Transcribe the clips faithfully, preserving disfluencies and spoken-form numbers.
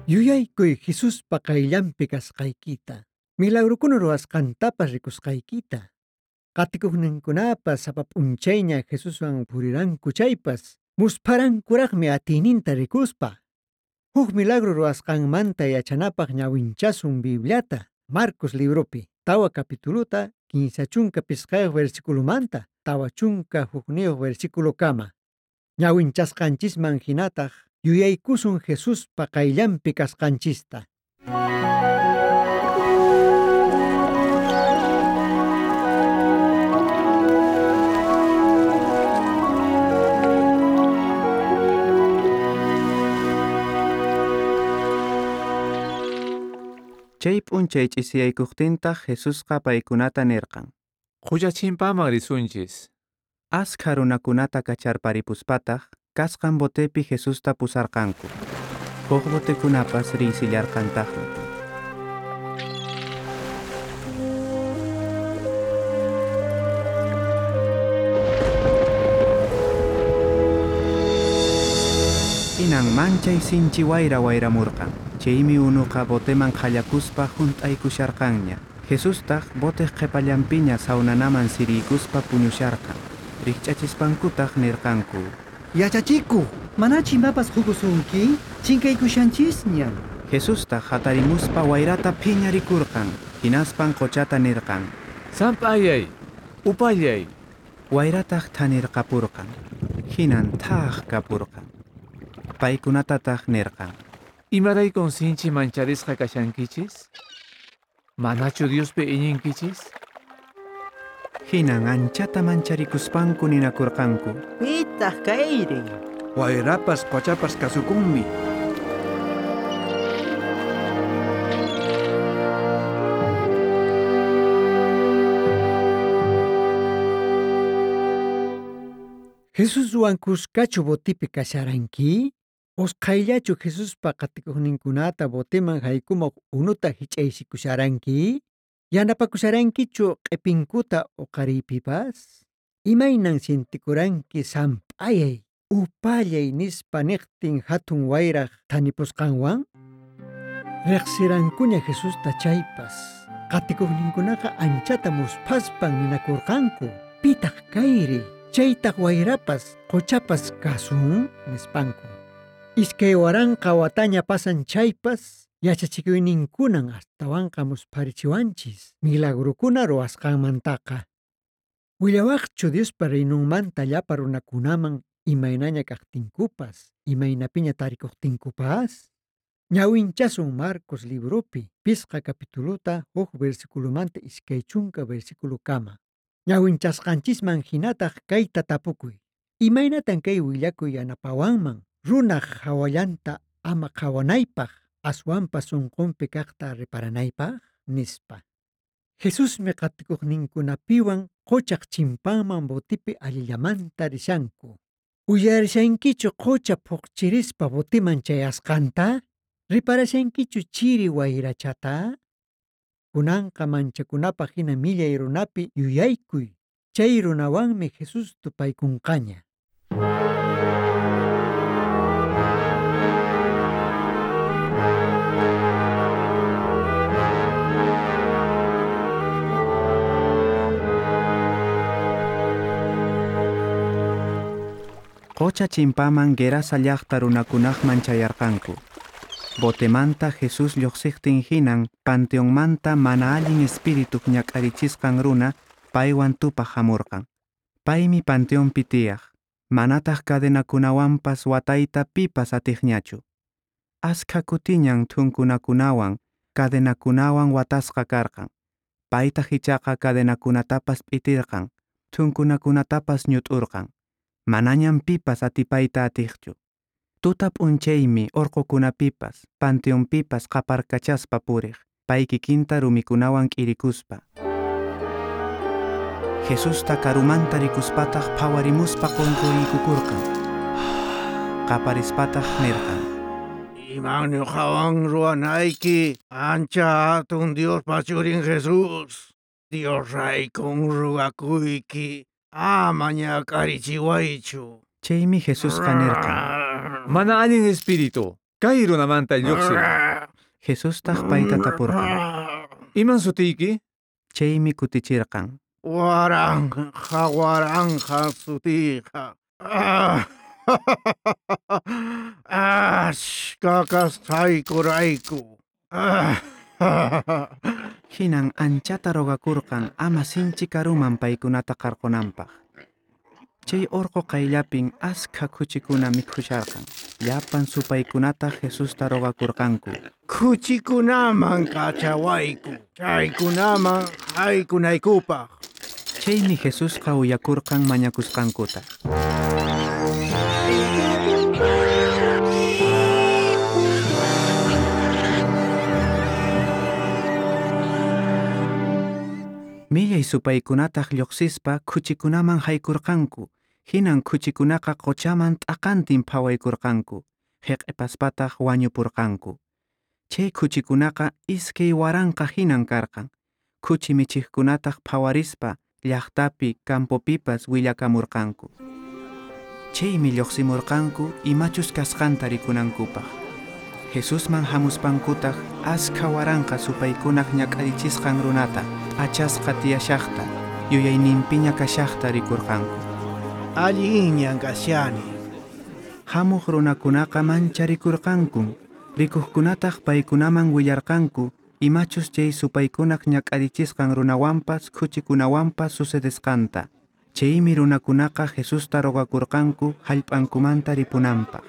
Yuyaykuy Jesuspa qayllanpi kasqaykita, milagrokuna ruwasqantapas rikusqaykita. Qatikuqninkunapas sapa p'unchayña Jesuswan puriranku chaypas, muspharankuraqmi atiyninta rikuspa. Huk milagro ruwasqanmanta yachanapaq ñawinchasun Bibliata, Marcos libropi, tawa capituluta, kinsa chunka pisqayuq versiculomanta, tawa chunka hukniyuq versiculokama. Ñawinchasqanchisman hinataq yuyaykusun Jesuspa qayllanpi kasqanchista. Chay p'unchay ch'isiyaykuqtintaq Jesusqa paykunata nirqan. Qucha chimpaman risunchis. Askha runakunata kacharparipuspataq kasqan botepi Jesusta pusarqanku. Huk botekunapas riysillarqantaqmi. Hinan manchay sinchi wayra wayramurqan. Chaymi unuqa boteman qhallakuspa hunt'aykusharqanña. Jesustaq boteq qhipallanpiña sawnanaman siriykuspa puñusharqan. Rikch'achispankutaq nirqanku: Yachachikuq, manachu imapas qukusunki? Chinkaykushanchisñan. Jesustaq hatarimuspa wayrata phiñarikurqan. Hinaspan qochata nirqan: Samp'ayay, upallay. Wayrataq thanirqapurqan. Hinan thaq kapurqan. Paykunatataq nirqan: Imaraykun sinchi mancharisqa kashankichis? Manachu Diospi iñinkichis? Hinan anchata mancharikuspanku ninakurqanku: Pitaq kayri? Wayrapas qochapas kasukunmi. Jesuswan kuskachu botipi kasharanki? Usqhayllachu Jesuspa qatikuqninkunata boteman haykumuq unuta hich'aysikusharanki? Yanapakusharankichu q'ipinkuta uqariypipas? Imaynan sientikuranki samp'ayay, upallay nispa niqtin hatun wayraq thanipusqanwan? Riqsirankuña Jesusta chaypas, qatikuqninkunaqa anchata musphaspan ninakurqanku: Pitaq kayri, chaytaq wayrapas, qochapas kasun, nispanku. Iskay waranqa wataña pasan chaypas, yachachikuyninkunan astawanqa muspharichiwanchis milagrokuna ruwasqanmantaqa. Willawaqchu Diospa reinonmanta llapa runakunaman imaynaña kaqtinkupas, imaynapiña tarikuqtinkupas? Ñawinchasun Marcos libropi, pisqa capituluta, huk versiculomanta iskay chunka versiculokama. Ñawinchasqanchisman hinataq kayta tapukuy: Imaynatan kay willakuy yanapawanman runaq hawallanta ama qhawanaypaq, aswanpas sunqunpi kaqta reparanaypaq? Nispa. Jesusmi qatikuqninkunapiwan qochaq chimpanman botipi allillamanta rishanku. Uyarishankichu qocha phuqchirispa botiman chayasqanta? Riparashankichu chiri wayrachata? Kunanqa manchakunapaq hina millay runapi yuyaykuy. Chay runawanmi Jesús tupaykunqaña. Qocha chimpaman Gerasa llaqta runakunaqman chayarqanku. Botemanta Jesús lluqsiqtin hinan panteonmanta mana allin espirituq ñak'arichisqan runa paywan tupaq hamurqan. Paymi panteonpi tiyaq, manataq cadenakunawanpas watayta pipas atiqñachu. Askha kutiñan thunkunakunawan, cadenakunawan watasqa karqan. Paytaq ichaqa cadenakunatapas p'itirqan, thunkunakunatapas ñut'urqan. Manañan pipas atipayta atiqchu. Tuta p'unchaymi orqokunapipas, panteonpipas qaparkachaspa puriq, pay kikinta rumikunawan k'irikuspa. Jesusta karumanta rikuspataq phawarimuspa qunquriykukurqan. Qaparispataq nirqan: Iman ñuqawan ruwanayki, ancha hatun Diospa churin Jesús. Dios raykun ruwakuyki, ama ñak'arichiwaychu. Chaymi Jesusqa nirqan: Mana allin espíritu, Kay runamanta lluqsiy. Jesustaq payta tapurqan. Iman sutiyki? Chaymi kutichirqan. Waranqa, waranqa sutiyqa. Ashka kasqaykurayku. Hinan anchata rogakurqan ama sinchi karuman paykunata qarqunanpaq. Chay orqo qayllapin askha khuchikuna mikhusharqan. Llapan supaykunataq Jesusta rogakurqanku. Khuchikunaman kachawayku, chaykunaman haykunaykupaq. Chaymi Jesusqa uyakurqan mañakusqankuta. Millay supaykunataq lluqsispa khuchikunaman haykurqanku. Hinan khuchikunaqa quchaman t'aqantin phawaykurqanku, hiq'ipaspataq wañupurqanku. Chay khuchikunaqa iskay waranqa hinan karqan. Khuchi michiqkunataq phawarispa llaqtapi campopipas willakamurqanku. Chaymi lluqsimurqanku imachus kasqanta rikunankupaq. Jesusman hamuspankutaq askha waranqa supaykunaq ñak'arichisqan runata, p'achasqa tiyashaqta, yuyayninpiña kashaqta rikurqanku. Allinñan kashani. Hamuq runakunaqa mancharikurqankun, rikuqkunataq paykunaman willarqanku imachus chay supaykunaq ñak'arichisqan runawanpas khuchikunawanpas sucedesqanta. Chaymi runakunaqa Jesusta rogakurqanku hallp'ankumanta ripunanpaq.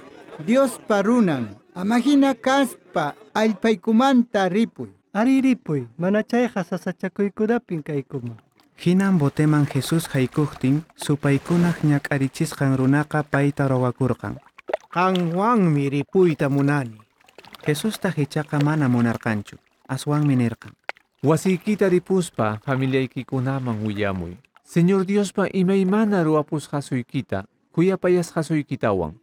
Diospa runan, amahina kaspa allpaykumanta ripuy. Ari ripuy, mana chayqa sasachakuykunapin kaykuman. Hinan boteman Jesús haykuqtin, supaykunaq ñak'arichisqan runaqa payta rogakurqan. Qanwanmi ripuyta munani. Jesustaq ichaqa mana munarqanchu, aswanmi nirqan. Wasiykita ripuspa familiaykikunaman willamuy. Señor Diospa imaymana ruwapusqasuykita, khuyapayasqasuykitawan.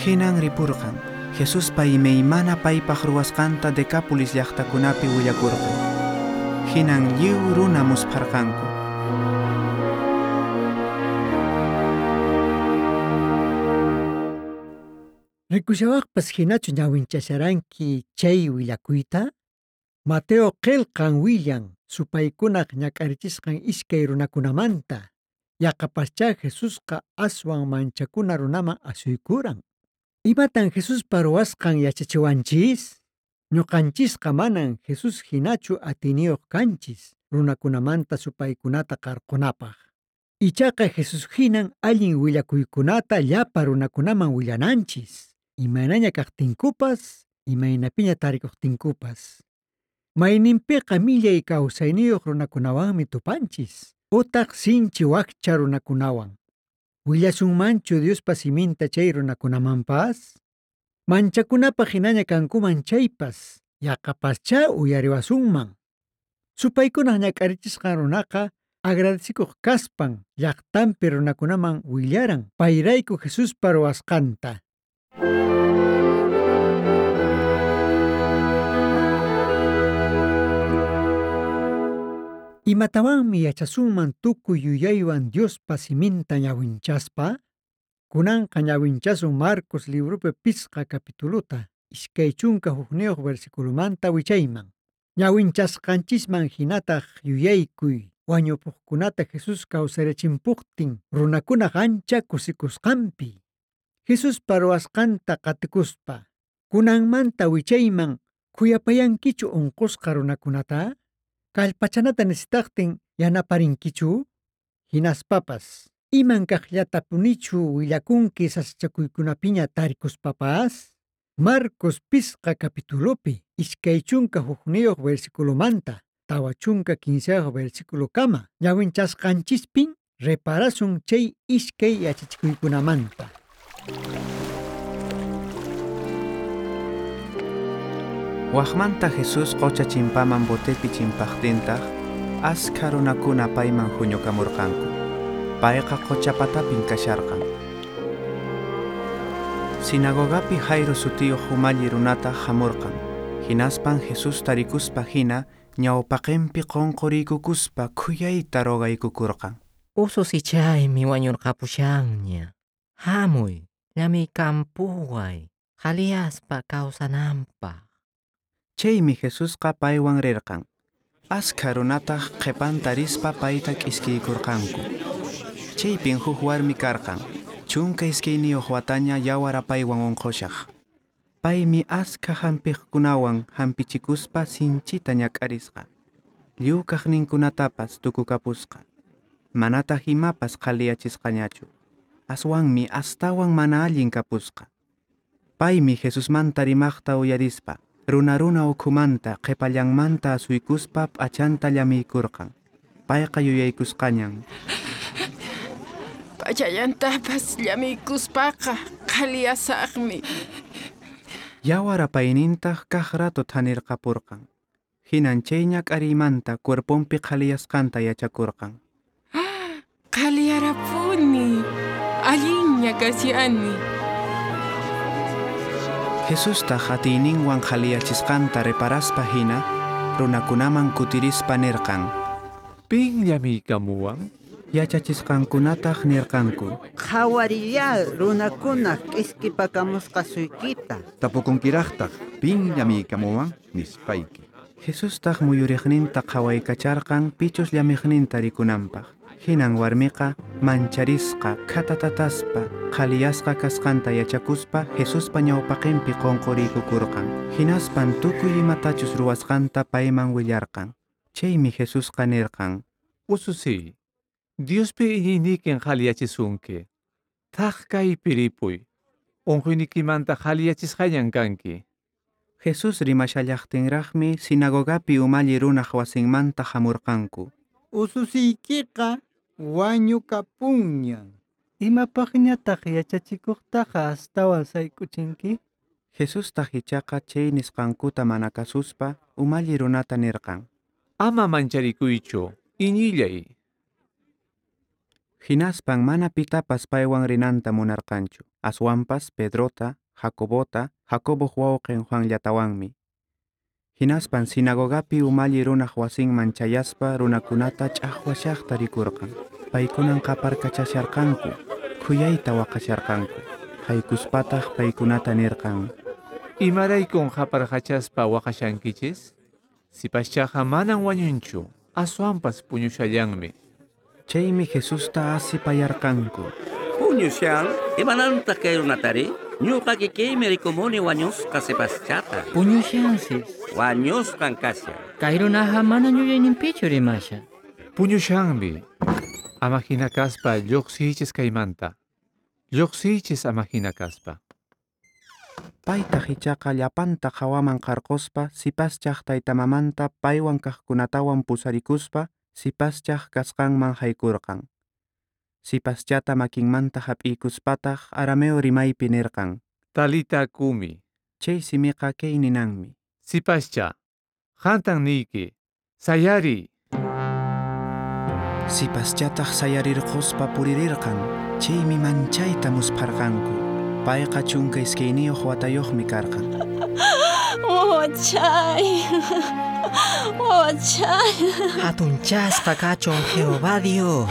Hinan ripurqan. Jesuspa imaymana paypaq ruwasqanta Decápolis llaqtakunapi willakurqan. Hinan lliw runa muspharqanku. Rikushawaqpas hinachu ñawinchasharanki chay willakuyta? Mateo qillqan willan supaykunaq ñak'arichisqan iskay runakunamanta. Yaqapaschá Jesusqa aswan manchakuna runaman asuykuran. Imatan Jesuspa ruwasqan yachachiwanchis? Ñuqanchisqa manan Jesús hinachu atiniyuq kanchis runakunamanta supaykunata qarqunapaq. Ichaqa Jesús hinan allin willakuykunata llapa runakunaman willananchis. Imaynaña kaqtinkupas, imaynapiña tarikuqtinkupas. Mayninpiqa millay kawsayniyuq runakunawanmi tupanchis, utaq sinchi wakcha runakunawan. Willasunmanchu Diospa siminta chay runakunamanpas? Manchakunapaq hinaña kankuman chaypas, yaqapaschá uyariwasunman. Supaykunaq ñak'arichisqan runaqa agradecikuq kaspan llaqtanpi runakunaman willaran payrayku Jesuspa ruwasqanta. Imatawanmi yachasunman tukuy yuyaywan Diospa siminta ñawinchaspa? Kunanqa ñawinchasun Marcos libropi pisqa capituluta, iskay chunka hukniyuq versiculomanta wichayman. Ñawinchasqanchisman hinataq yuyaykuy wañupuqkunata Jesús kawsarichinpuqtin runakunaq ancha kusikusqanpi. Jesuspa ruwasqanta qatikuspa, kunanmanta wichayman khuyapayankichu unqusqa runakunata? Kallpachanata necesitaqtin yanaparinkichu? Hinaspapas, iman kaqllatapunichu willakunki sasachakuykunapiña tarikuspapas? Marcos pisqa capitulopi, iskay chunka hukniyuq versiculomanta, tawa chunka kinsayuq versiculokama, ñawinchasqanchispin reparasun chay iskay yachachikuykunamanta. Waqmanta Jesús qocha chimpaman botepi chimpaqtintaq, askha runakuna payman huñukamurqanku. Payqa qocha patapin kasharqan. Sinagogapi Jairo sutiyuq umalli runataq hamurqan. Hinaspan Jesús tarikuspa hina ñawpaqinpi qunquriykukuspa khuyayta rogaykukurqan. Ususichaymi wañurqapushanña. Hamuy, Llamiykampuway, qhaliyaspa kawsananpaq. Chaymi Jesusqa paywan rirqan. Askha runataq qhipanta rispa payta k'iskiykurqanku. Chaypin huk warmi karqan, chunka iskayniyuq wataña yawar apaywan unqushaq. Paymi askha hampiqkunawan hampichikuspa sinchita ñak'arisqa. Lliw kaqninkunatapas tukukapusqa. Manataq imapas qhaliyachisqañachu. Aswanmi astawan mana allin kapusqa. Paymi Jesusmanta rimaqta uyarispa, runa runa ukhumanta qhipallanmanta asuykuspa p'achanta llamiykurqan. Payqa yuyaykusqañan. P'achallantapas llamiykuspaqa qhaliyasaqmi. Yawar apaynintaq kaq rato thanirqapurqan. Hinan chay ñak'ariymanta cuerponpi qhaliyasqanta yachakurqan. Qhaliyarapuni, allinña kashani. Jesustaq atiyninwan qhaliyachisqanta reparaspa hina, runakunaman kutirispa nirqan. Pin llamiykamuwan? Yachachisqankunataq nirqanku. Qhawariyá runakunaq k'iskipakamusqasuykita. Tapukunkiraqtaq pin llamiykamuwan nispayki. Jesustaq muyuriqninta qhawaykacharqan pichus llamiqninta rikunanpaq. Hinan warmiqa mancharisqa khatatataspa qhaliyasqa kasqanta yachakuspa Jesuspa ñawpaqinpi qunquriykukurqan. Hinaspan tukuy imatachus ruwasqanta payman willarqan. Chaymi Jesusqa nirqan. Ususiy, Diospi iñiynikin qhaliyachisunki. Thak kaypi ripuy. Unquynikimanta qhaliyachisqañan kanki. Jesús rimashallaqtinraqmi sinagogapi umalli runaq wasinmanta hamurqanku. Ususiykiqa wañukapunñan. Imapaqñataq yachachikuqtaqa astawan sayk'uchinki? Jesustaq ichaqa chay nisqankuta mana kasuspa umalli runata nirqan. Ama mancharikuychu, iñillay. Hinaspan mana pitapas paywan rinanta munarqanchu, aswanpas Pedrota, Jacobota, Jacoboq wawqin Juanllatawanmi. Hinaspan sinagogapi umalli runaq wasinman chayaspa runakunata ch'aqwashaqta rikurqan. Paykunan qaparkachasharqanku, khuyayta waqasharqanku. Haykuspataq paykunata nirqan. Imaraykun qaparqachaspa waqashankichis? Sipaschaqa manan wañunchu, aswanpas puñushallanmi. Chaymi Jesusta asipayarqanku. Puñushan, imanantaq kay runatari? Ñuqa kikiymi rikumuni wañusqa sipaschata. Puñushansis. Wañusqan kashan. Kay runaqa mana yuyayninpichu rimashan. Puñushanmi. Ama hina kaspa lluqsiychis kaymanta. Lluqsiychis ama hina kaspa. Paytaq ichaqa llapanta hawaman qarquspa sipaschaq taytamamanta paywan kaqkunatawan pusarikuspa sipaschaq kasqanman haykurqan. Sipaschata makinmanta hap'iykuspataq arameo rimaypi nirqan. Talita kumi. Chay simiqa kay ninanmi. Sipascha, qantan niyki, sayariy. Sipaschataq sayarirquspa puririrqan, chaymi manchayta muspharqanku. Payqa chunka iskayniyuq watayuqmi karqan. Wawachay, wawachay. Hatunchasqa kachun Jehová Dios.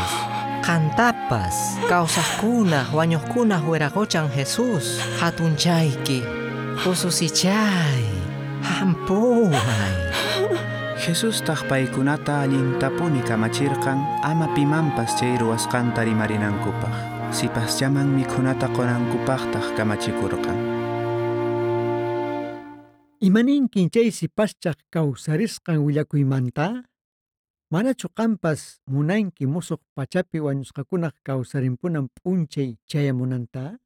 Qantapas, kawsaqkunaq, wañuqkunaq wiraqochan Jesús. Hatunchayki, ususichay, hampuway. Jesustaq paykunata allintapuni kamachirqan ama pimanpas chay ruwasqanta rimarinankupaq. Sipaschaman mikhunata qunankupaqtaq kamachikurqan. Imaninkin chay sipaschaq kawsarisqan willakuymanta? Manachu qampas munanki musuq pachapi wañusqakunaq kawsarimpunan p'unchay chayamunanta?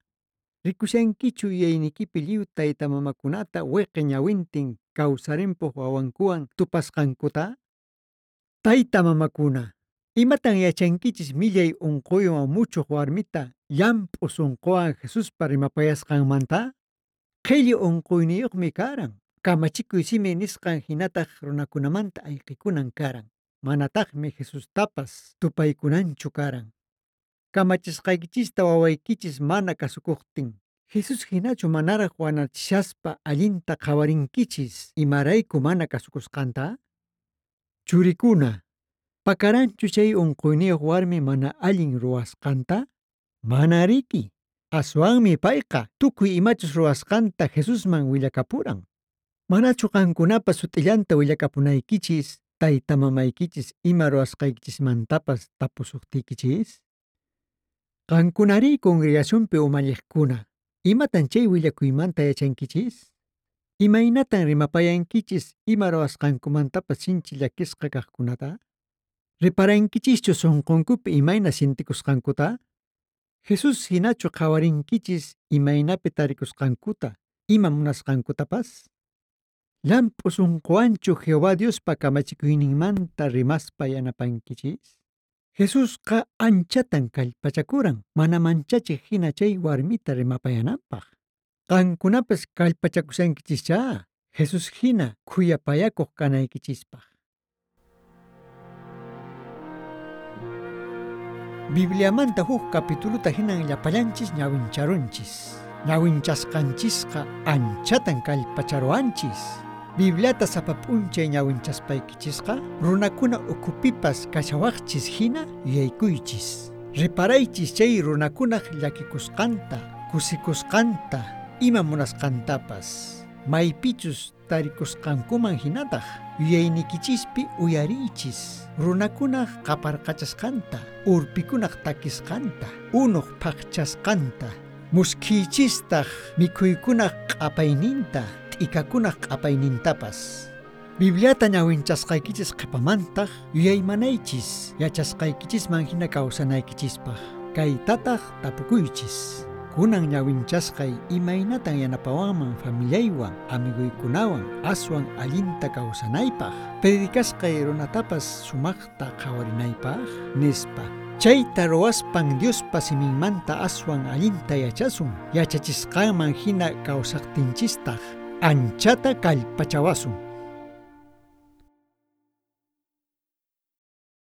Rikushankichu yuyaynikipi lliw taytamamakunata wiqi ñawintin kawsarimpuq wawankuwan tupasqankuta? Taytamamakuna, imatan yachankichis millay unquywan muchuq warmita llamp'u sunquwan Jesuspa rimapayasqanmanta? Qhilli unquyniyuqmi karan, kamachikuy simi nisqan hinataq runakunamanta ayqikunan karan. Manataqmi Jesustapas tupaykunanchu karan. Kamachisqaykichista wawaykichis mana kasukuqtin, Jesús hinachu manaraq wanachishaspa allinta qhawarinkichis imarayku mana kasukusqanta? Churikuna, pakaranchu chay unquyniyuq warmi mana allin ruwasqanta? Mana riki, Aswanmi payqa tukuy imachus ruwasqanta Jesusman willakapuran. Manachu qankunapas sut'illanta willakapunaykichis tayta mamaykichis ima ruwasqaykichismantapas tapusuqtiykichis? Qankunari congregacionpi umalliqkuna, imatan chay willakuymanta yachankichis? Imaynatan rimapayankichis ima ruwasqankumantapas sinchi llakisqa kaqkunata? Reparankichischu sunqunkupi imayna sintikusqankuta? Jesús hinachu qhawarinkichis imaynapi tarikusqankuta, ima munasqankutapas? Llamp'u sunquwanchu Jehová Diospa kamachikuyninmanta rimaspa yanapankichis? Jesusqa anchatan kallpachakuran mana manchachiq hina chay warmita rimapayananpaq. Qankunapas kallpachakushankichischá Jesús hina khuyapayakuq kanaykichispaq. Bibliamanta huk capituluta hinan llapallanchis ñawincharunchis. Ñawinchasqanchisqa anchatan kallpacharuanchis. Bibliata sapa p'unchay ñawinchaspaykichisqa runakuna ukhupipas kashawaqchis hina yuyaykuychis. Reparaychis chay runakunaq llakikusqanta, kusikusqanta, ima munasqantapas. Maypichus tarikusqankuman hinataq yuyaynikichispi uyariychis runakunaq qaparqachasqanta, urpikunaq takisqanta, unuq phaqchasqanta, muskhichistaq mikhuykunaq q'apayninta, t'ikakunaq q'apaynintapas. Bibliata ñawinchasqaykichis qhipamantaq yuyaymanaychis yachasqaykichisman hina kawsanaykichispaq. Kaytataq tapukuychis. Kunan ñawinchasqay imaynatan yanapawanman familiaywan, amiguykunawan aswan allinta kawsanaypaq, predicasqay runatapas sumaqta qhawarinaypaq, nispa. Chayta ruwaspan Diospa siminmanta aswan allinta yachasun, yachachisqanman hina kawsaqtinchistaq anchata kallpachawasun.